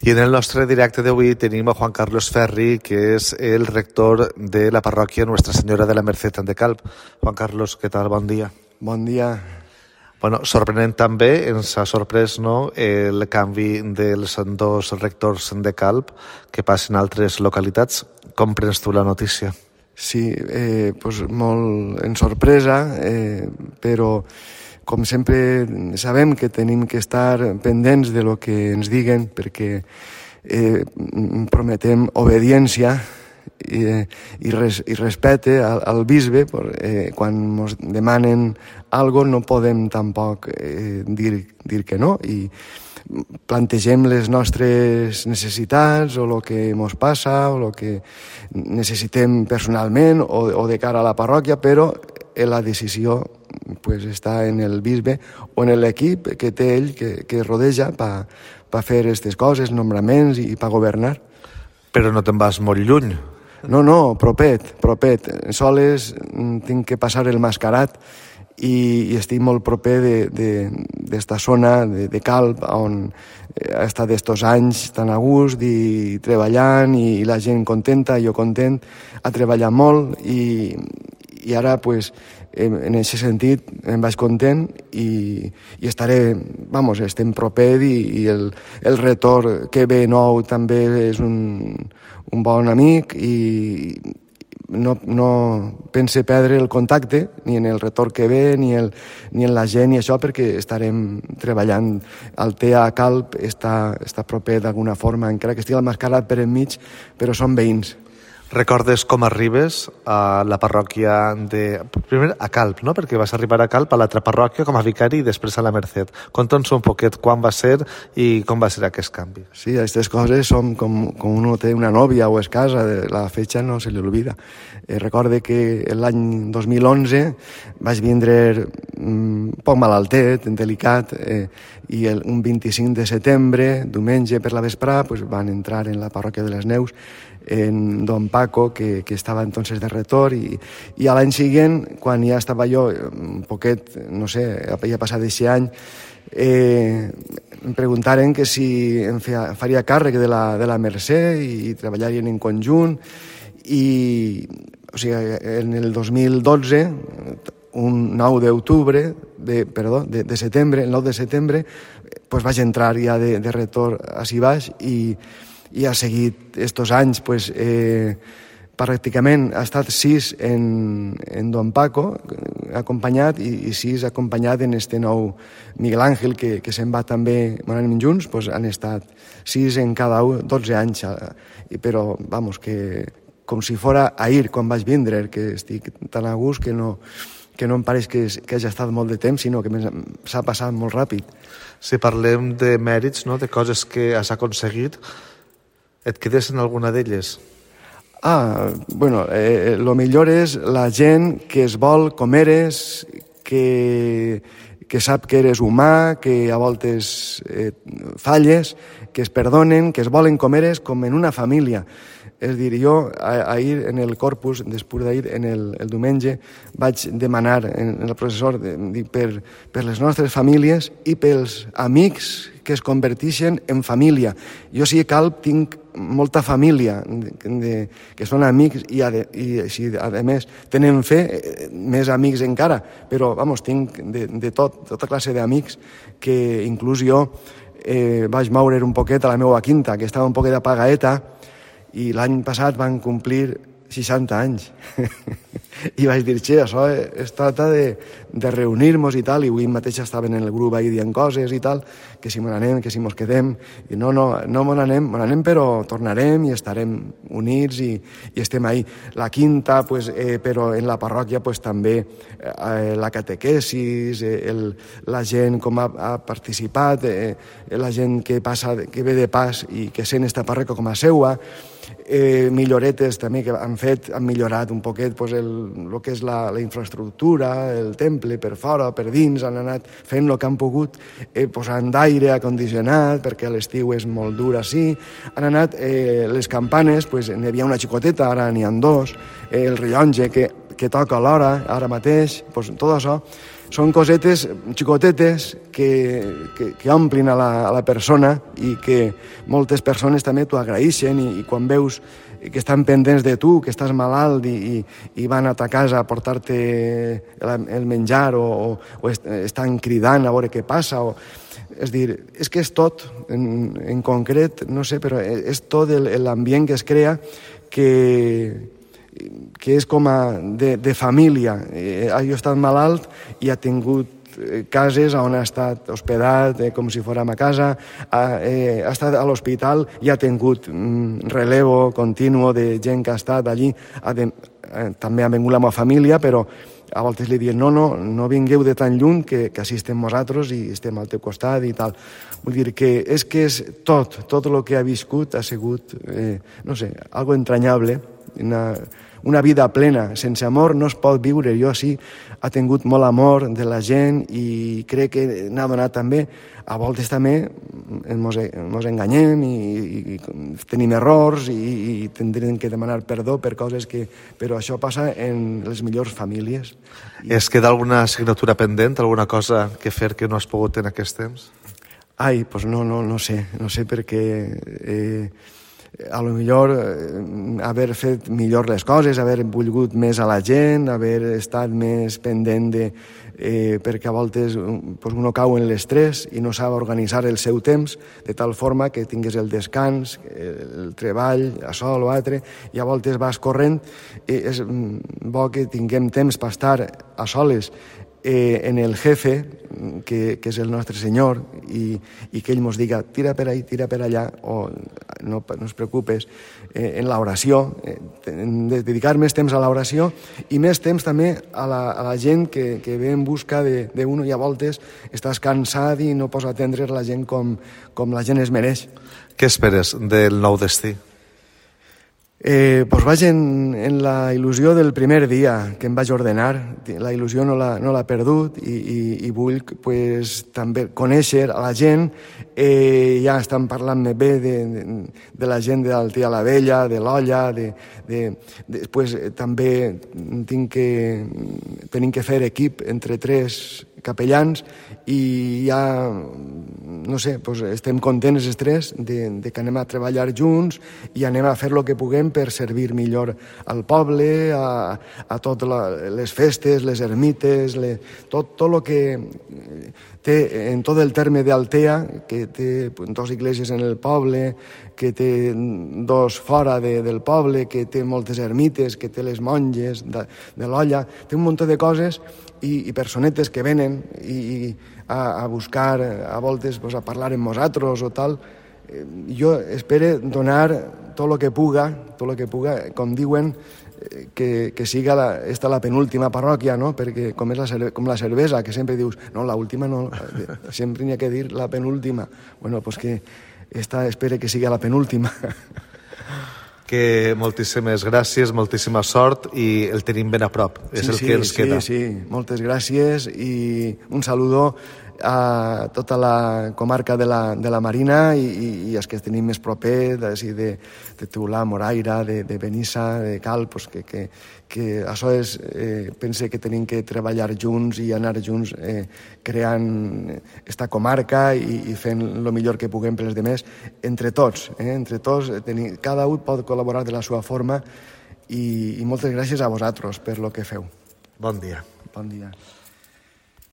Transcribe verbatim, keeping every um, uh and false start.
I en el nostre directe d'avui tenim a Juan Carlos Ferri, que és el rector de la parròquia Nuestra Senyora de la Merced de Calp. Juan Carlos, què tal? Bon dia. Bon dia. Bueno, sorprenent també, ens ha sorprès, no?, el canvi dels dos rectors de Calp que passen a altres localitats. Com prens tu la notícia? Sí, eh, pues molt en sorpresa, eh, però com sempre sabem que tenim que estar pendents de lo que ens diguen perquè eh, prometem obediència i, i, res, i respecte al, al bisbe. Eh, quan ens demanen algo no podem tampoc eh, dir, dir que no, i plantegem les nostres necessitats o el que ens passa o el que necessitem personalment o, o de cara a la parròquia, però la decisió pues, està en el bisbe o en l'equip que té ell, que, que rodeja per pa fer aquestes coses, nombraments i per governar. Però no te'n vas molt lluny. No, no, propet, propet. Soles tinc que passar el mascarat i, i estic molt proper d'esta zona de, de Calp, on he estat estos anys tan a gust i treballant i la gent contenta, jo content, ha treballat molt i, i ara, pues, en aquest sentit, em vaig content i, i estaré, vamos, estem proper i, i el, el retor que ve nou també és un, un bon amic i no, no pense perdre el contacte ni en el retor que ve ni, el, ni en la gent i això, perquè estarem treballant. El T A Calp està, està proper d'alguna forma, encara que estigui el mascarat per enmig, però són veïns. Recordes com arribes a la parròquia de... Primer a Calp, no?, perquè vas arribar a Calp a l'altra parròquia com a vicari i després a la Merced. Conta'ns un poquet quan va ser i com va ser aquest canvi. Sí, aquestes coses són com, com uno té una nòvia o es casa, la fetxa no se li olvida. Eh, recorde que l'any dos mil onze vaig vindre un poc malaltet, delicat, eh, i el, un vint-i-cinc de setembre, diumenge per la vesprà, pues, van entrar en la parròquia de les Neus en don Paco, que, que estava entonces de retor, i, i a l'any següent, quan ja estava jo un poquet, no sé, havia passat aquest any, eh, em preguntaren que si em feia, faria càrrec de la, de la Mercè i, i treballarien en conjunt, i o sigui, en el dos mil dotze, un nou d'octubre, de, perdó, de, de setembre, el nou de setembre, pues vaig entrar ja de, de retor ací baix i i ha seguit estos anys, pues, eh, pràcticament ha estat sis en, en don Paco, acompanyat, i, i sis acompanyat en este nou Miguel Ángel, que, que se'n va també, anem junts, pues, han estat sis en cada un, dotze anys, eh, però, vamos, que com si fora ahir quan vaig vindre, que estic tan a gust que no, que no em pareix que, que hagi estat molt de temps, sinó que s'ha passat molt ràpid. Si parlem de mèrits, no?, de coses que has aconseguit, et quedes en alguna d'elles? Ah, bueno, eh, lo millor és la gent que es vol com eres, que, que sap que eres humà, que a voltes eh, falles, que es perdonen, que es volen com eres, com en una família. És dir, jo ahir en el corpus, després d'ahir, en el, el diumenge, vaig demanar en el professor de, per, per les nostres famílies i pels amics que es converteixen en família. Jo sí que Calp tinc molta família de, de, que són amics i, a, i si a més tenen fe, més amics encara, però vamos, tinc de, de tot, tota classe d'amics que inclús jo eh, vaig moure un poquet a la meva quinta, que estava un poquet apagaeta, i l'any passat van complir seixanta anys. I vaig dir, che, això es tracta de, de reunir-nos i tal, i avui mateix estaven en el grup ahí dient coses i tal, que si mos anem, que si mos quedem, i no, no, no mos anem, mos anem, però tornarem i estarem units i, i estem ahí. La quinta, pues, eh, però en la parròquia, pues, també eh, la catequesis, eh, el, la gent com ha, ha participat, eh, la gent que passa, que ve de pas i que sent esta parròquia com a seua, eh, milloretes també que han fet, han millorat un poquet pues, el, el que és la, la infraestructura, el temple per fora, per dins, han anat fent el que han pogut, eh, posant d'aire acondicionat, perquè l'estiu és molt dur així, han anat eh, les campanes, pues, n'hi havia una xicoteta, ara n'hi ha dos, eh, el rellotge que, que toca a l'hora, ara mateix, pues, tot això, són cosetes xicotetes que, que, que omplin a la, a la persona i que moltes persones també t'ho agraeixen i, i quan veus que estan pendents de tu, que estàs malalt i, i, i van a ta casa a portar-te el, el menjar o, o, o est, estan cridant a veure què passa. O, és dir, és que és tot, en, en concret, no sé, però és tot l'ambient que es crea que, que és com a de, de família. Eh, jo he estat malalt i ha tingut cases on ha estat hospedat eh, com si fórem a casa, ha, eh, ha estat a l'hospital i ha tingut mm, relevo continu de gent que ha estat allí. Ha de, eh, també ha vingut la meva família, però a voltes li diuen no, no, no vingueu de tan lluny que, que així estem nosaltres i estem al teu costat i tal. Vull dir que és que és tot, tot el que ha viscut ha sigut, eh, no sé, algo entranyable, una, una vida plena. Sense amor no es pot viure. Jo sí, ha tingut molt amor de la gent i crec que n'ha donat també. A voltes també ens, ens enganyem i, i, i tenim errors i, i tindrem que demanar perdó per coses que... Però això passa en les millors famílies. I... Es queda alguna assignatura pendent, alguna cosa que fer que no has pogut en aquest temps? Ai, doncs no, no, no sé, no sé perquè... Eh, a lo millor eh, haver fet millor les coses, haver volgut més a la gent, haver estat més pendent de... Eh, perquè a voltes pues, uno cau en l'estrès i no sap organitzar el seu temps de tal forma que tingues el descans, el treball, això o l'altre, i a voltes vas corrent. Eh, és bo que tinguem temps per estar a soles eh, en el jefe, que, que és el nostre Senyor, i, i que ell ens diga tira per ahí, tira per allà, o no, no es preocupes, eh, en l'oració, eh, de dedicar més temps a l'oració i més temps també a la, a la gent que, que ve en busca d'un i a voltes estàs cansat i no pots atendre la gent com, com la gent es mereix. Què esperes del nou destí? Eh, pues vaig en, en la il·lusió del primer dia que em vaig ordenar. La il·lusió no l'ha no l'ha perdut i, i, i vull pues, també conèixer a la gent. Eh, ja estan parlant-me bé de, de, de la gent de l'Altia la Vella, de l'Olla, de, de, després eh, també tinc que, tenim que fer equip entre tres capellans i ja, no sé, pues estem contents els tres de, de que anem a treballar junts i anem a fer el que puguem per servir millor al poble, a, a totes les festes, les ermites, le, tot, tot el que té en tot el terme d'Altea, que té dos iglesias en el poble, que té dos fora de, del poble, que té moltes ermites, que té les monges de, de l'Olla, té un munt de coses i, i personetes que venen i, i a, a buscar, a voltes pues, a parlar amb nosaltres o tal. Eh, jo espero donar tot el que puga, tot el que puga, com diuen, eh, que, que siga la, esta la penúltima parròquia, no? Perquè com és la, com la cervesa, que sempre dius, no, la última no, sempre n'hi ha que dir la penúltima. Bueno, pues que esta espero que siga la penúltima. Que moltíssimes gràcies, moltíssima sort i el tenim ben a prop, és sí, el sí, que ens sí, queda. Sí, sí, moltes gràcies i un saludo a tota la comarca de la, de la Marina i, i, i els que tenim més proper, de, de, de Teulà, Moraira, de, de Benissa, de Cal, pues que, que, que això és, eh, pense que tenim que treballar junts i anar junts eh, creant esta comarca i, i fent el millor que puguem per als demés, entre tots, eh, entre tots, tenim, cada un pot col·laborar de la seva forma i, i moltes gràcies a vosaltres per lo que feu. Bon dia. Bon dia.